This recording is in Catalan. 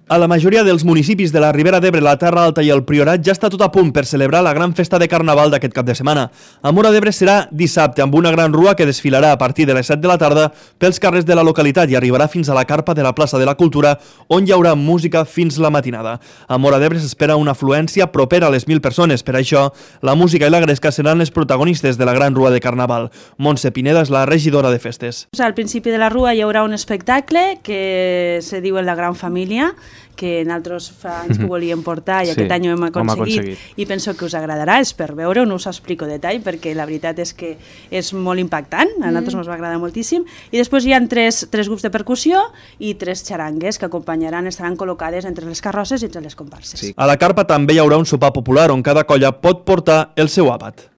A la majoria dels municipis de la Ribera d'Ebre, la Terra Alta i el Priorat ja està tot a punt per celebrar la gran festa de Carnaval d'aquest cap de setmana. A Móra d'Ebre serà dissabte amb una gran rua que desfilarà a partir de les 7 de la tarda pels carrers de la localitat i arribarà fins a la carpa de la plaça de la Cultura, on hi haurà música fins la matinada. A Móra d'Ebre s'espera una afluència propera a les 1.000 persones. Per això, la música i la gresca seran les protagonistes de la gran rua de Carnaval. Montse Pineda és la regidora de festes. Al principi de la rua hi haurà un espectacle que se diu La Gran Família, que nosaltres fa anys que volíem portar i aquest any ho hem aconseguit i penso que us agradarà, és per veure, no us explico detall perquè la veritat és que és molt impactant, a nosaltres ens va agradar moltíssim, i després hi ha tres grups de percussió i 3 xarangues que acompanyaran, estaran col·locades entre les carrosses i entre les comparses. A la carpa també hi haurà un sopar popular on cada colla pot portar el seu àpat.